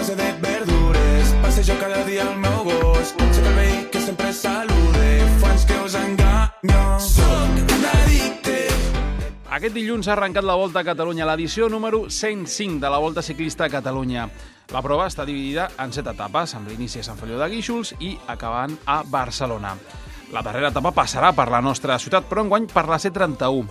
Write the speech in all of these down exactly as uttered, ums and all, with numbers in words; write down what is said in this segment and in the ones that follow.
base de verdures. Passejo cada dia al meu gos. Sé que el veí que sempre salude. Fans que us enganyo. Soc un addicte. Aquest dilluns ha arrencat la Volta a Catalunya, l'edició número cent cinc de la Volta Ciclista a Catalunya. La prova està dividida en set etapes, amb l'inici a Sant Feliu de Guíxols i acabant a Barcelona. La darrera etapa passarà per la nostra ciutat, però enguany per la C trenta-u.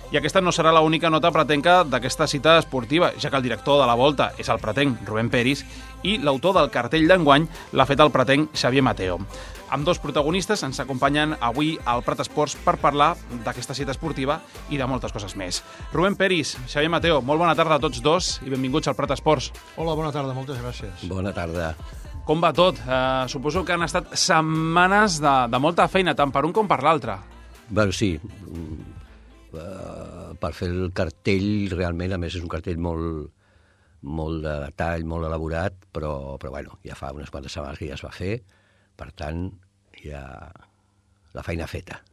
I aquesta no serà l'única nota pretenca d'aquesta cita esportiva, ja que el director de la Volta és el pretenc Rubén Peris i l'autor del cartell d'enguany l'ha fet el pretenc Xavier Mateo. Amb dos protagonistes ens acompanyen avui al Prat Esports per parlar d'aquesta cita esportiva i de moltes coses més. Rubén Peris, Xavier Mateo, molt bona tarda a tots dos i benvinguts al Prat Esports. Hola, bona tarda, moltes gràcies. Bona tarda. Com va tot? Uh, suposo que han estat setmanes de, de molta feina, tant per un com per l'altre. Bé, sí, uh, per fer el cartell, realment, a més és un cartell molt, molt de detall, molt elaborat, però, però bueno, ja fa unes quantes setmanes que ja es va fer, per tant, ja la feina feta.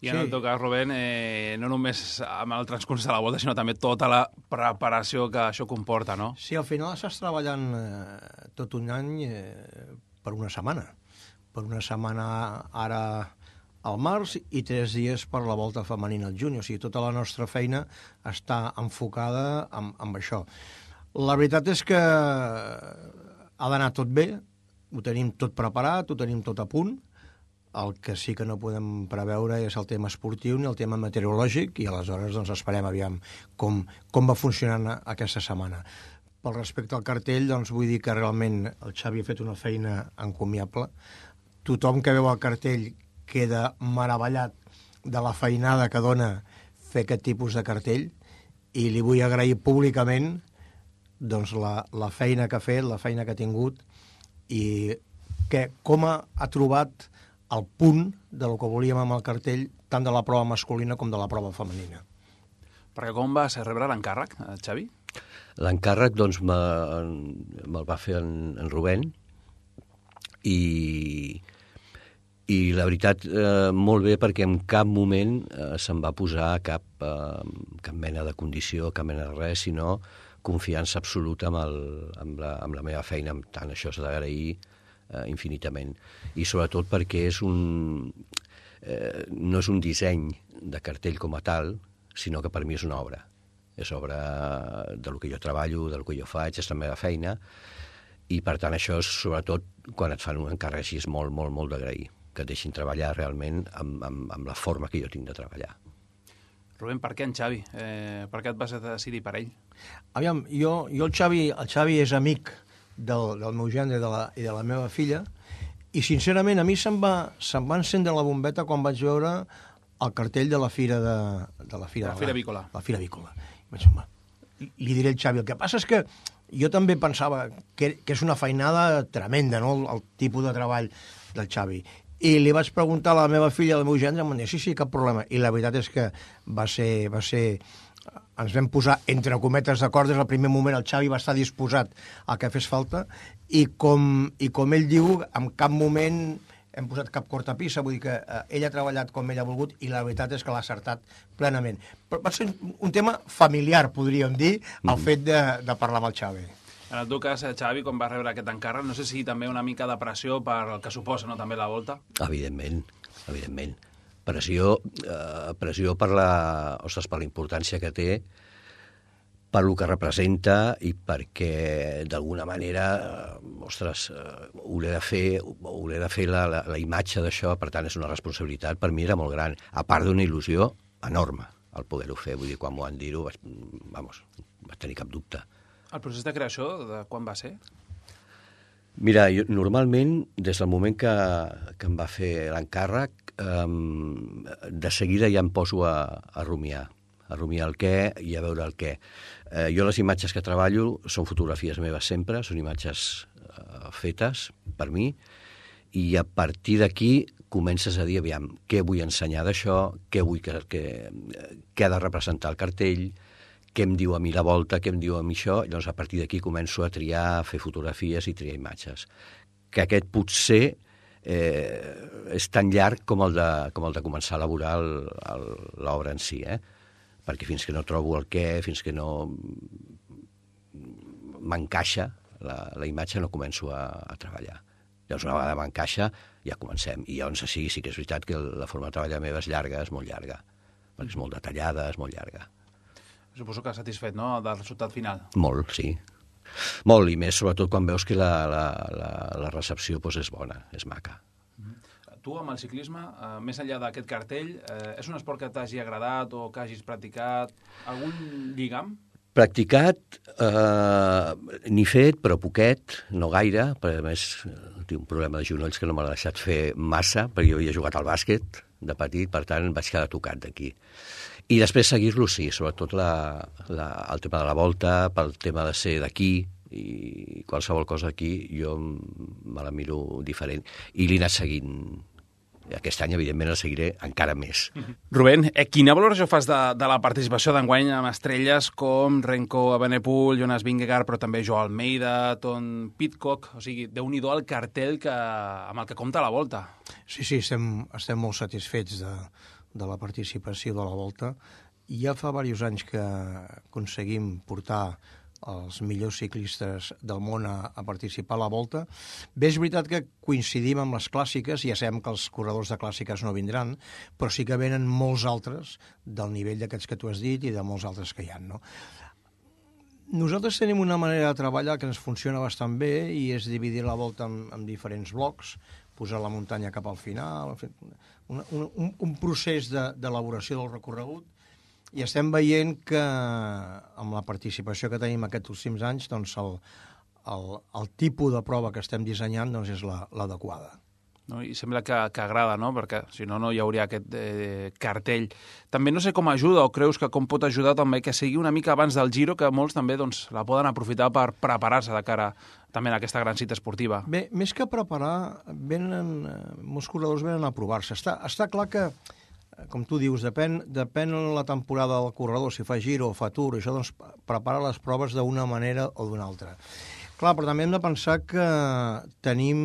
I en sí. el teu cas, Rubén, eh, no només amb el transcurs de la Volta, sinó també tota la preparació que això comporta, no? Sí, al final estàs treballant eh, tot un any eh, per una setmana. Per una setmana ara al març i tres dies per la Volta femenina al juny. O sigui, tota la nostra feina està enfocada amb, amb això. La veritat és que ha d'anar tot bé, ho tenim tot preparat, ho tenim tot a punt. El que sí que no podem preveure és el tema esportiu ni el tema meteorològic i aleshores doncs, esperem aviam com, com va funcionant aquesta setmana. Pel respecte al cartell, doncs, vull dir que realment el Xavi ha fet una feina encomiable. Tothom que veu el cartell queda meravellat de la feinada que dona fer aquest tipus de cartell i li vull agrair públicament doncs, la, la feina que ha fet, la feina que ha tingut i que com ha, ha trobat el punt de lo que volíem amb el cartell tant de la prova masculina com de la prova femenina. Perquè com va ser rebre l'encàrrec, Xavi? L'encàrrec, doncs, me'l va fer en, en Rubén i, i la veritat, eh, molt bé, perquè en cap moment eh, se'm va posar cap, eh, cap mena de condició, cap mena de res, sinó confiança absoluta amb, el, amb, la, amb la meva feina, amb tant això s'ha d'agrair eh, infinitament. I sobretot perquè és un, eh, no és un disseny de cartell com a tal, sinó que per mi és una obra. És obra de lo que jo treballo, de lo que jo faig, és la meva feina, i per tant això és sobretot quan et fan un encàrrec així és molt, molt, molt d'agrair, que et deixin treballar realment amb, amb, amb la forma que jo tinc de treballar. Rubén, per què en Xavi? Eh, per què et vas decidir per ell? Aviam, jo, jo el, Xavi, el Xavi és amic del, del meu gendre i de, la, i de la meva filla i sincerament a mi se'm va, se'm va encendre la bombeta quan vaig veure el cartell de la Fira de, de la Fira, la Fira Avícola. La Fira Avícola. Vaig dir, li, li diré al Xavi. El que passa és que jo també pensava que, que és una feinada tremenda, no?, el, el tipus de treball del Xavi. I li vaig preguntar a la meva filla, al meu gendre, em van dir, sí, sí, cap problema. I la veritat és que va ser... Va ser ens vam posar, entre cometes, d'acord, des del primer moment el Xavi va estar disposat a que fes falta i com, i com ell diu, en cap moment hem posat cap cortapissa, vull dir que eh, ell ha treballat com ell ha volgut i la veritat és que l'ha acertat plenament. Però va ser un tema familiar, podríem dir, el fet de, de parlar amb el Xavi. En el teu cas, Xavi, quan va rebre aquest encàrrec, no sé si també una mica de pressió per el que suposa, no?, també la Volta? Evidentment, evidentment. Pressió, eh, pressió per la, ostres, per la importància que té, per lo que representa i perquè, d'alguna manera, eh, ostres, eh, hauré de fer, hauré de fer la, la, la imatge d'això, per tant, és una responsabilitat, per mi era molt gran, a part d'una il·lusió enorme el poder-ho fer. Vull dir, quan m'ho van dir-ho, vaig, vamos, vaig tenir cap dubte. El procés de creació, de quan va ser? Mira, jo, normalment, des del moment que, que em va fer l'encàrrec, eh, de seguida ja em poso a, a rumiar, a rumiar el què i a veure el què. Eh, jo les imatges que treballo són fotografies meves sempre, són imatges eh, fetes per mi, i a partir d'aquí comences a dir, aviam, què vull ensenyar d'això, què vull que, que, què ha de representar el cartell, què em diu a mi la Volta, què em diu a mi això, i llavors a partir d'aquí començo a triar, a fer fotografies i triar imatges. Que aquest potser eh, és tan llarg com el de, com el de començar a elaborar l'obra en si, eh? Perquè fins que no trobo el què, fins que no m'encaixa la, la imatge no començo a, a treballar. Llavors, una vegada m'encaixa, ja comencem. I llavors sí, sí que és veritat que la forma de treballar meva és llarga, és molt llarga, perquè és molt detallada, és molt llarga. Suposo que satisfet, no?, del resultat final. Molt, sí. Molt, i més sobretot quan veus que la, la, la, la recepció doncs, és bona, és maca. Tu, amb el ciclisme, eh, més enllà d'aquest cartell, eh, és un esport que t'hagi agradat o que hagis practicat? Algun lligam? Practicat, eh, n'he fet, però poquet, no gaire, perquè a més tinc un problema de genolls que no m'ha deixat fer massa, perquè jo havia jugat al bàsquet de petit, per tant vaig quedar tocat d'aquí. I després seguir-lo, sí, sobretot la, la, el tema de la volta, pel tema de ser d'aquí, i qualsevol cosa aquí jo me la miro diferent. I l'he anat seguint. Aquest any, evidentment, el seguiré encara més. Rubén, eh, quina valoració fas de, de la participació d'enguany amb estrelles com Renko Evenepoel, Jonas Vingegaard, però també Joao Almeida, Tom Pidcock? O sigui, déu-n'hi-do el cartell que, amb el que compta la Volta. Sí, sí, estem, estem molt satisfets de, de la participació de la Volta. Ja fa diversos anys que aconseguim portar els millors ciclistes del món a, a participar a la Volta. Bé, és veritat que coincidim amb les clàssiques, ja sabem que els corredors de clàssiques no vindran, però sí que venen molts altres del nivell d'aquests que tu has dit i de molts altres que hi ha, no? Nosaltres tenim una manera de treballar que ens funciona bastant bé i és dividir la Volta en, en diferents blocs, posar la muntanya cap al final, un, un, un procés d'elaboració del recorregut. I estem veient que amb la participació que tenim aquests últims anys, doncs el, el, el tipus de prova que estem dissenyant doncs és l'adequada. No? I sembla que, que agrada, no? Perquè si no, no hi hauria aquest eh, cartell. També no sé com ajuda o creus que com pot ajudar també que sigui una mica abans del Giro, que molts també doncs, la poden aprofitar per preparar-se de cara també a aquesta gran cita esportiva. Bé, més que preparar, venen, molts corredors venen a provar-se. Està, està clar que com tu dius, depèn, depèn la temporada del corredor, si fa Giro o fa Tour, això doncs prepara les proves d'una manera o d'una altra. Clar, però també hem de pensar que tenim,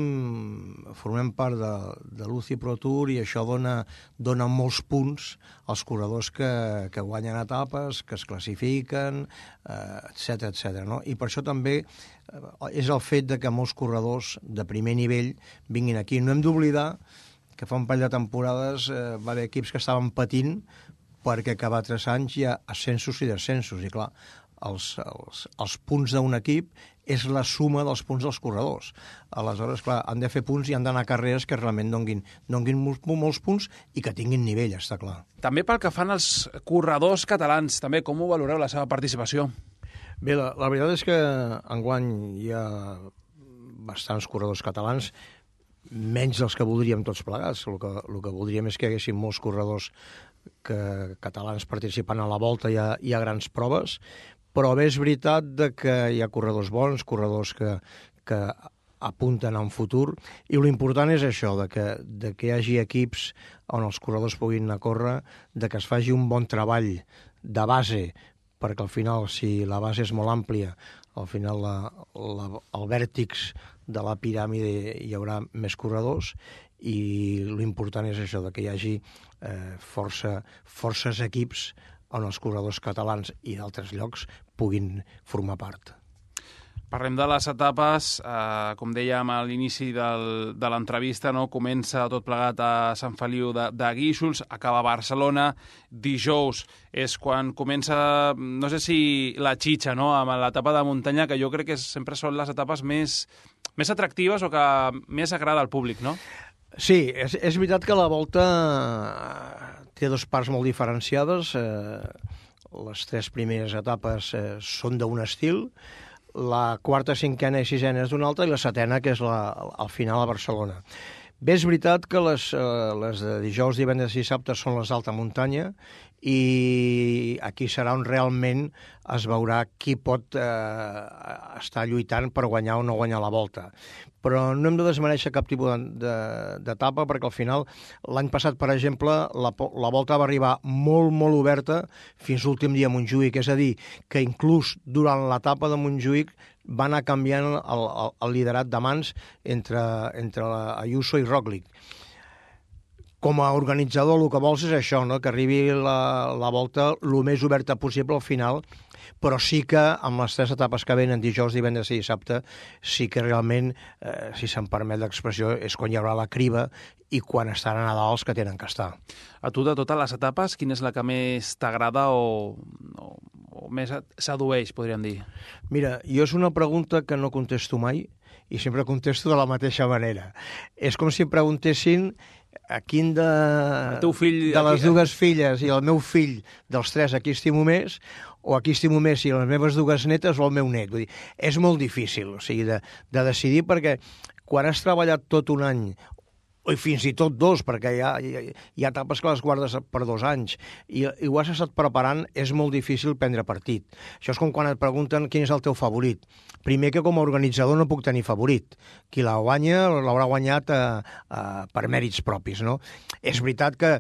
formem part de, de l'U C I Pro Tour i això dona, dona molts punts als corredors que, que guanyen etapes, que es classifiquen, eh, etcètera, etcètera, no? I per això també eh, és el fet de que molts corredors de primer nivell vinguin aquí. No hem d'oblidar que fa un parell de temporades eh, va haver equips que estaven patint perquè cada tres anys hi ha ascensos i descensos. I clar, els, els, els punts d'un equip és la suma dels punts dels corredors. Aleshores, clar, han de fer punts i han d'anar a carreres que realment donguin, donguin molts, molts punts i que tinguin nivell, està clar. També pel que fan els corredors catalans, també, com ho valoreu la seva participació? Bé, la, la veritat és que enguany hi ha bastants corredors catalans, menys dels que voldríem tots plegats. El que, el que voldríem és que hi haguessin molts corredors que, catalans participant a la Volta. Hi ha, hi ha grans proves, però bé és veritat de que hi ha corredors bons, corredors que, que apunten a un futur, i l'important és això, de que, de que hi hagi equips on els corredors puguin anar a córrer, de que es faci un bon treball de base, perquè al final, si la base és molt àmplia, al final la, la, el vèrtex de la piràmide hi haurà més corredors, i l'important és això, de que hi hagi eh, força, forces equips on els corredors catalans i d'altres llocs puguin formar part. Parlem de les etapes, eh, com dèiem a l'inici del, de l'entrevista, no? Comença tot plegat a Sant Feliu de, de Guíxols, acaba a Barcelona, dijous és quan comença, no sé si la xitxa, no? Amb l'etapa de muntanya, que jo crec que sempre són les etapes més, més atractives o que més agrada al públic, no? Sí, és, és veritat que la Volta té dues parts molt diferenciades. Eh, les tres primeres etapes eh, són d'un estil, la quarta, cinquena i sisena és d'una altra, i la setena, que és la, al final a Barcelona. Bé, és veritat que les, eh, les de dijous, divendres i dissabte són les d'alta muntanya, i aquí serà on realment es veurà qui pot eh, estar lluitant per guanyar o no guanyar la Volta. Però no hem de desmereixer cap tipus d'etapa, perquè al final, l'any passat, per exemple, la, la Volta va arribar molt, molt oberta fins l'últim dia a Montjuïc, és a dir, que inclús durant l'etapa de Montjuïc va anar canviant el, el, el liderat de mans entre, entre Ayuso i Roglic. com a organitzador el que vols és això, no? Que arribi la, la volta el més oberta possible al final, però sí que amb les tres etapes que venen, dijous, divendres i dissabte, sí que realment, eh, si se'm permet l'expressió, és quan hi haurà la criba i quan estan a Nadal els que tenen que estar. A tu, de totes les etapes, quina és la que més t'agrada o, o, o més et sedueix, podríem dir? Mira, jo és una pregunta que no contesto mai i sempre contesto de la mateixa manera. És com si em preguntessin a quin de, el teu fill, de les aquí... dues filles i el meu fill dels tres a qui estimo més, o a qui estimo més si les meves dues netes o el meu net. Vull dir, és molt difícil, o sigui, de, de decidir, perquè quan has treballat tot un any, o fins i tot dos, perquè hi ha, hi ha, hi ha etapes que les guardes per dos anys, i, i ho has estat preparant, és molt difícil prendre partit. Això és com quan et pregunten quin és el teu favorit. Primer que com a organitzador no puc tenir favorit. Qui la guanya l'haurà guanyat eh, eh, per mèrits propis, no? És veritat que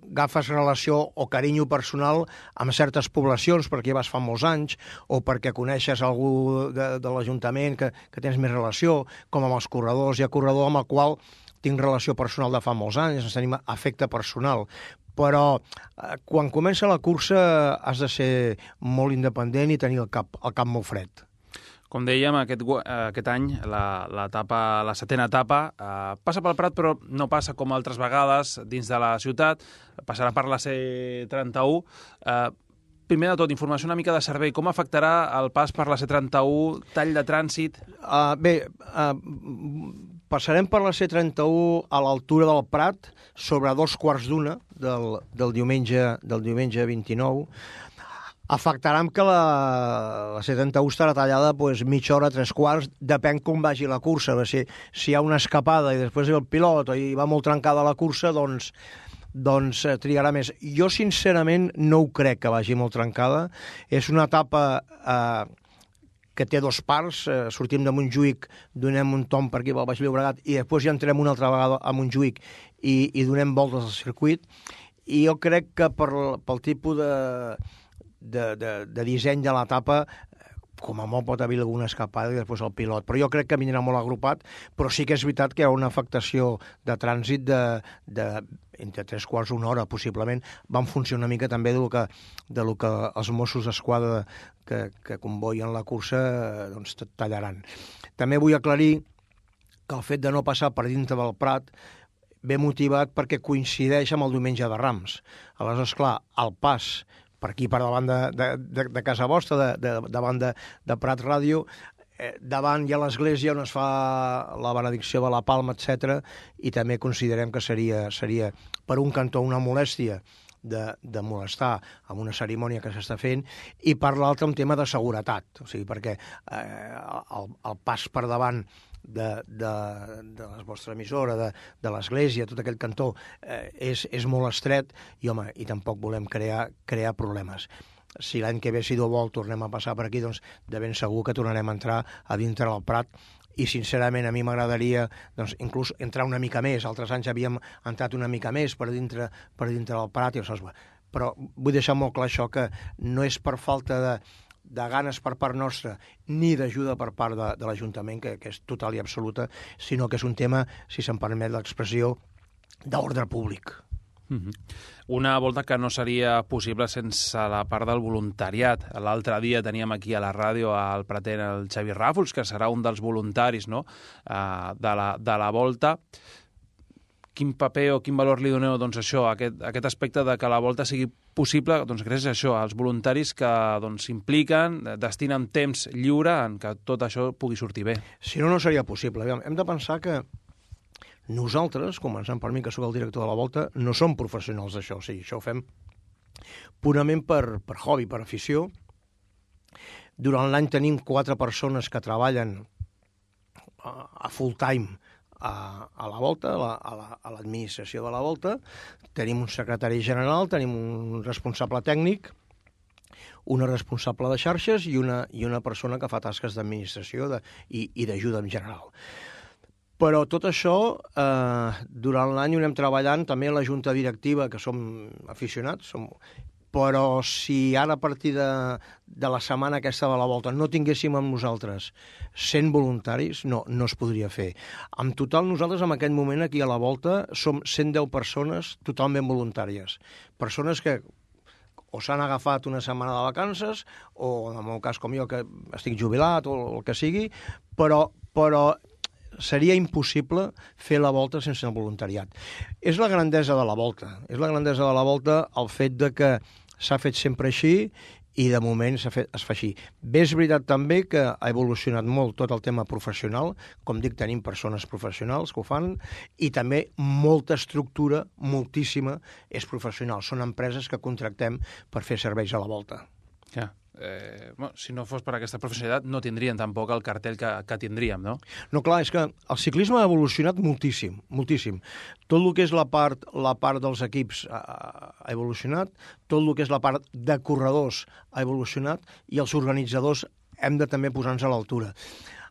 agafes relació o carinyo personal amb certes poblacions perquè vas fa molts anys o perquè coneixes algú de, de l'Ajuntament que, que tens més relació, com amb els corredors. Hi ha corredor amb el qual tinc relació personal de fa molts anys, ens tenim afecte personal, però eh, quan comença la cursa has de ser molt independent i tenir el cap, el cap molt fred. Com dèiem, aquest, aquest any, la, la, etapa, la setena etapa, eh, passa pel Prat, però no passa com altres vegades dins de la ciutat, passarà per la C trenta-u. Eh, primer de tot, informació una mica de servei. Com afectarà el pas per la C trenta-u, tall de trànsit? Uh, bé, uh, passarem per la C trenta-u a l'altura del Prat, sobre dos quarts d'una del, del, diumenge, del diumenge vint-i-nou. Afectarà que la, la C trenta-u estarà tallada pues, mitja hora, tres quarts, depèn com vagi la cursa. Si, si hi ha una escapada i després ve el pilot i va molt trencada la cursa, doncs, doncs eh, trigarà més. Jo, sincerament, no ho crec que vagi molt trencada. És una etapa eh, que té dos parts. Eh, sortim de Montjuïc, donem un tom per aquí pel Baix Llobregat i després ja entrem una altra vegada a Montjuïc i, i donem voltes al circuit. I jo crec que per, pel tipus de... De, de, de disseny de l'etapa, com a molt pot haver alguna escapada i després el pilot, però jo crec que vindrà molt agrupat, però sí que és veritat que hi ha una afectació de trànsit de, de entre tres quarts una hora, possiblement. Va en funció una mica també del que, del que els Mossos d'Esquadra que, que convoien la cursa doncs tallaran. També vull aclarir que el fet de no passar per dintre del Prat ve motivat perquè coincideix amb el diumenge de Rams. Aleshores, clar, el pas per aquí, per davant de, de, de, de casa vostra, de, de, davant de, de Prat Ràdio, eh, davant hi ha l'església on es fa la benedicció de la Palma, etcètera, i també considerem que seria, seria per un cantó una molèstia de, de molestar amb una cerimònia que s'està fent, i per l'altre un tema de seguretat, o sigui, perquè eh, el, el pas per davant de, de, de la vostra emissora, de, de l'església, tot aquell cantó, eh, és, és molt estret i, home, i tampoc volem crear, crear problemes. Si l'any que ve, si Déu vol, tornem a passar per aquí, doncs de ben segur que tornarem a entrar a dintre del Prat i, sincerament, a mi m'agradaria doncs, inclús entrar una mica més. Altres anys havíem entrat una mica més per dintre, per dintre del Prat, i, ostres, però vull deixar molt clar això, que no és per falta de de ganes per part nostra, ni d'ajuda per part de, de l'Ajuntament, que, que és total i absoluta, sinó que és un tema, si se'm permet l'expressió, d'ordre públic. Mm-hmm. Una volta que no seria possible sense la part del voluntariat. L'altre dia teníem aquí a la ràdio al Prater el Xavi Ràfols, que serà un dels voluntaris, no?, uh, de, la, de la volta. Quin paper o quin valor li doneu doncs, això, aquest, aquest aspecte de que la volta sigui possible, doncs gràcies a això, als voluntaris que doncs, s'impliquen, destinen temps lliure en que tot això pugui sortir bé. Si no, no seria possible. Hem de pensar que nosaltres, començant per mi, que sóc el director de la volta, no som professionals d'això. O sigui, això ho fem purament per, per hobby, per afició. Durant l'any tenim quatre persones que treballen a, a full time A, a la volta, a, la, a, la, a l'administració de la volta. Tenim un secretari general, tenim un responsable tècnic, una responsable de xarxes i una, i una persona que fa tasques d'administració de, i, i d'ajuda en general. Però tot això, eh, durant l'any ho anem treballant, també la junta directiva, que som aficionats, som, però si ara a partir de, de la setmana aquesta de la volta no tinguéssim amb nosaltres cent voluntaris, no, no es podria fer. En total, nosaltres en aquest moment aquí a la volta som cent deu persones totalment voluntàries. Persones que o s'han agafat una setmana de vacances, o en el meu cas com jo, que estic jubilat, o el que sigui, però, però seria impossible fer la volta sense el voluntariat. És la grandesa de la volta. És la grandesa de la volta el fet de que s'ha fet sempre així i de moment s'ha fet, es fa així. Bé, és veritat també que ha evolucionat molt tot el tema professional. Com dic, tenim persones professionals que ho fan i també molta estructura, moltíssima, és professional. Són empreses que contractem per fer serveis a la volta. Ja. Eh, bueno, si no fos per aquesta professionalitat no tindrien tampoc el cartell que, que tindríem, no? No, clar, és que el ciclisme ha evolucionat moltíssim, moltíssim. Tot el que és la part, la part dels equips ha, ha evolucionat, tot el que és la part de corredors ha evolucionat i els organitzadors hem de també posar-nos a l'altura.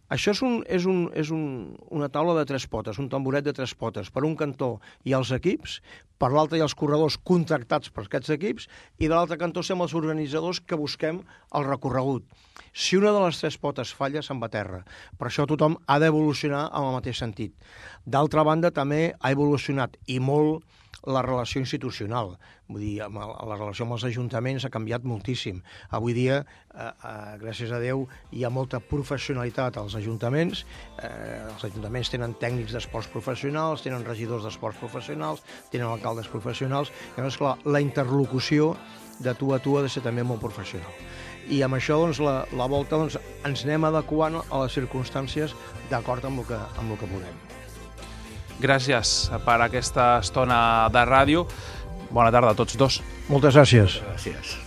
Això és, un, és, un, és un, una taula de tres potes, un tamboret de tres potes. Per un cantó hi ha els equips, per l'altre hi ha els corredors contractats per aquests equips i de l'altre cantó som els organitzadors que busquem el recorregut. Si una de les tres potes falla, se'n va a terra. Per això tothom ha d'evolucionar en el mateix sentit. D'altra banda, també ha evolucionat i molt la relació institucional. Vull dir, la relació amb els ajuntaments ha canviat moltíssim. Avui dia, eh, eh, gràcies a Déu, hi ha molta professionalitat als ajuntaments. Eh, els ajuntaments tenen tècnics d'esports professionals, tenen regidors d'esports professionals, tenen alcaldes professionals. I llavors, clar, la interlocució de tu a tu ha de ser també molt professional. I amb això, doncs, la, la volta doncs, ens anem adequant a les circumstàncies d'acord amb el que, amb el que podem. Gràcies per aquesta estona de ràdio. Bona tarda a tots dos. Moltes gràcies. Gràcies.